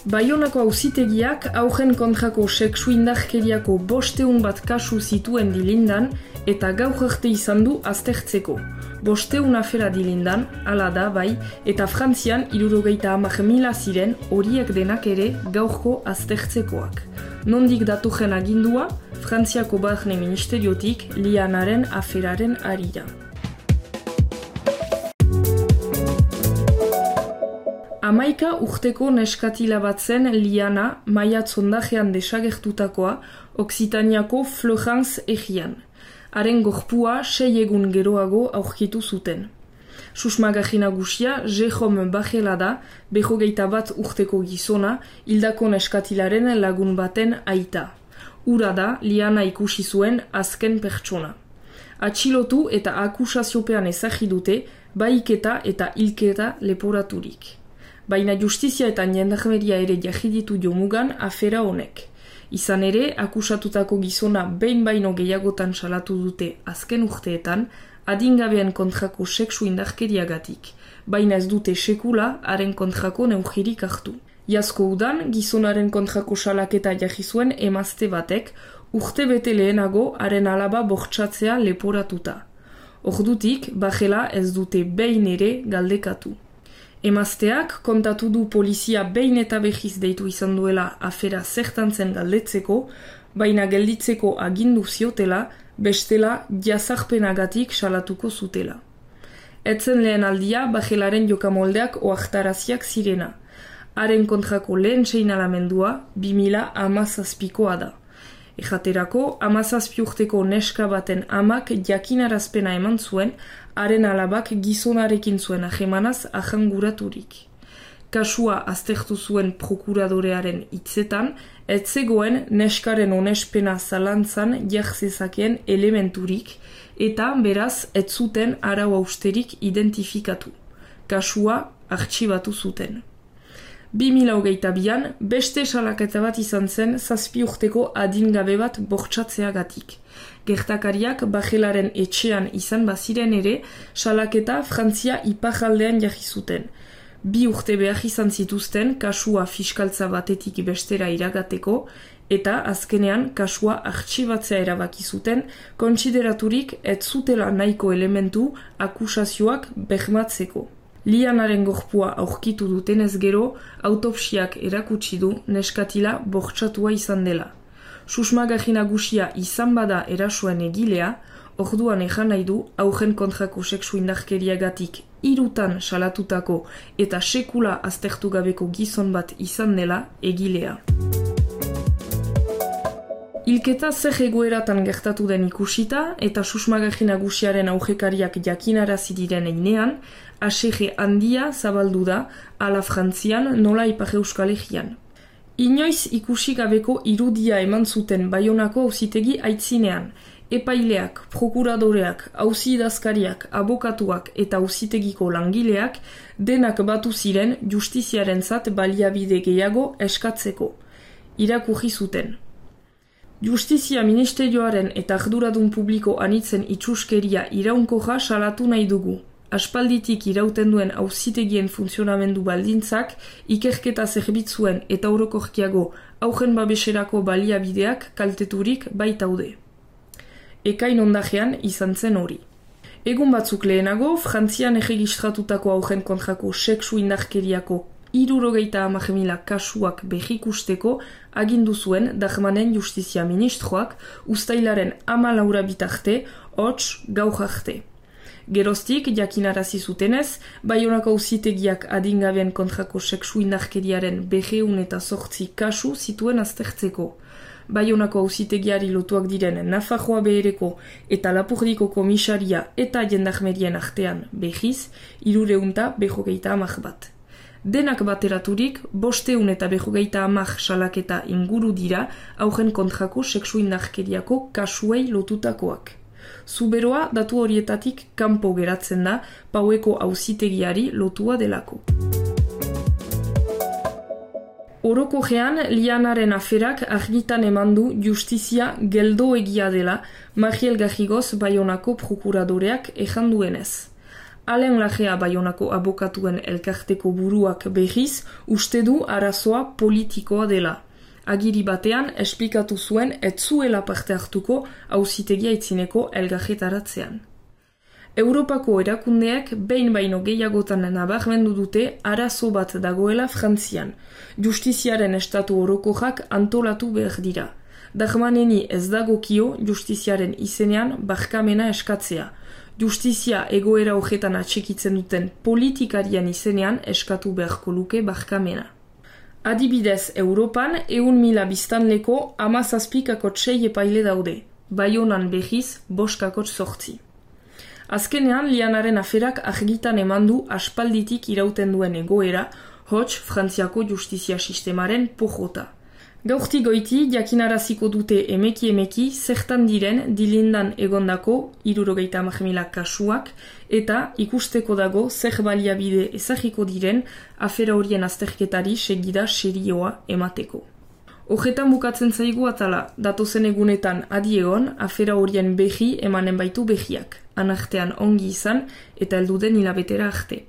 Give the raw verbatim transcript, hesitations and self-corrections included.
Baionako auzitegiak haurren kontrako sexu indarkeriako bosteun bat kasu zituen dilindan eta gaur arte izan du aztertzeko. Bosteun afera dilindan, hala da bai, eta Frantzian hirurogeita hamar mila ziren horiek denak ere gaurko aztertzekoak. Nondik datorren agindua, Frantziako Barne Ministeriotik Lianaren aferaren harira. Hamaika urteko neskatila bat zen Liana maiatz ondajean desagertutakoa Oksitaniako Florence egian. Haren gorpua sei egun geroago aurkitu zuten. Susmagarri nagusia Jérôme Bajela da, berrogeita bat urteko gizona, hildako neskatilaren lagun baten aita. Ura da Liana ikusi zuen azken pertsona. Atxilotu eta akusaziopean ezagri dute, bahiketa eta hilketa leporaturik. Baina justizia eta jendarmeria ere jahiditu jomugan afera honek. Izan ere, akusatutako gizona behin baino gehiagotan salatu dute azken urteetan, adingabean kontrako sexu indarkeriagatik, baina ez dute sekula haren kontrako neurririk hartu. Iazko udan, gizonaren kontrako salaketa jarri zuen emazte batek, urte bete lehenago haren alaba bortxatzea leporatuta. Ordutik, Bajela ez dute behin ere galdekatu. Emazteak kontatu du polizia behin eta behiz deitu izan duela afera zertan zen galdetzeko, baina gelditzeko agindu ziotela, bestela jazarpenagatik salatuko zutela. Etzen lehen aldia Bajelaren jokamoldeak oaktaraziak zirena. Haren kontrako lehen seinalamendua bi mila hamazazpikoa da. Ejaterako, hamazazpi urteko neska baten amak jakinarazpena eman zuen, haren alabak gizonarekin zuen ajemanaz ahanguraturik. Kasua aztertu zuen prokuradorearen hitzetan, ez zegoen neskaren onespena zalantzan jartzezakeen elementurik, eta beraz ez zuten arau austerik identifikatu. Kasua artxibatu zuten. bi mila hogeita bian, beste salaketa bat izan zen zazpi urteko adingabe bat bortxatzeagatik. Gertakariak Bajelaren etxean izan baziren ere, salaketa Frantzia iparraldean jarri zuten. Bi urte behar izan zituzten kasua fiskaltza batetik bestera iragateko, eta azkenean kasua artxibatzea erabaki zuten, kontsideraturik ez zutela nahiko elementu akusazioak bermatzeko. Lianaren gorpua aurkitu dutenez gero, autopsiak erakutsi du neskatila bortxatua izan dela. Susmagarri nagusia izan bada erasoen egilea, orduan ejan nahi du haurren kontrako sexu indarkeriagatik hirutan salatutako eta sekula aztertu gabeko gizon bat izan dela egilea. Hilketa zer egoeratan gertatu den ikusita eta susmagarri nagusiaren aurrekariak jakinarazi diren einean, asege handia zabaldu da ala Frantzian nola Ipar Euskal Herrian. Inoiz ikusi gabeko irudia eman zuten Baionako auzitegi aitzinean, epaileak, prokuradoreak, auzi-idazkariak, abokatuak eta auzitegiko langileak denak batu ziren justiziarentzat baliabide gehiago eskatzeko. Irakurri zuten. Justizia Ministerioaren eta arduradun publiko anitzen itxuskeria iraunkorra salatu nahi dugu. Aspalditik irauten duen auzitegien funtzionamendu baldintzak, ikerketa zerbitzuen eta orokorkiago haurren babeserako baliabideak kalteturik baitaude. Ekain ondajean izan zen hori. Egun batzuk lehenago, Frantzian erregistratutako haurren kontrako sexu indarkeriako hirurogeita hamar mila kasuak berrikusteko agindu zuen Darmanen Justizia Ministroak uztailaren hamalaura bitarte, hots gaur arte. Geroztik, jakinarazi zutenez, Baionako auzitegiak adingabean kontrako sexu indarkeriaren berreun eta zortzi kasu zituen aztertzeko. Baionako auzitegiari lotuak diren Nafarroa Behereko eta Lapurdiko komisaria eta jendarmerien artean behiz, hirureunta berrogeita hamar bat. Denak bateraturik, bosteun eta berrogeita hamar salaketa inguru dira haurren kontrako sexu indarkeriako kasuei lotutakoak. Zuberoa datu horietatik kanpo geratzen da Paueko auzitegiari lotua delako. Orokorrean, Lianaren aferak argitan eman du justizia geldo egia dela Mariel Garrigoz Baionako prokuradoreak ejan duenez. Alain Lagea Baionako abokatuen elkarteko buruak berriz uste du arazoa politikoa dela. Agiri batean esplikatu zuen ez zuela parte hartuko auzitegia itzineko elgarretaratzean. Europako erakundeak behin baino gehiagotan nabarmendu dute arazo bat dagoela Frantzian. Justiziaren estatu orokorrak antolatu behar dira. Darmaneni ez dagokio justiziaren izenean barkamena eskatzea. Justizia egoera horretan atxikitzen duten politikarien izenean eskatu beharko luke barkamena. Adibidez, Europan ehun mila biztanleko hamazazpikakot sei epaile daude. Baionan behiz boskakot zortzi. Azkenean, Lianaren aferak argitan eman du aspalditik irauten duen egoera, hots Frantziako justizia sistemaren pojota. Gaurti goiti jakinaraziko dute emeki emeki zertan diren dilindan egondako hirurogeita hamar mila kasuak eta ikusteko dago zer baliabide ezagiko diren afera horien azterketari segida serioa emateko. Horretan bukatzen zaigu atala, datozen egunetan adi egon, afera horien behi emanen baitu behiak, anartean ongi izan eta helduden hilabetera arte.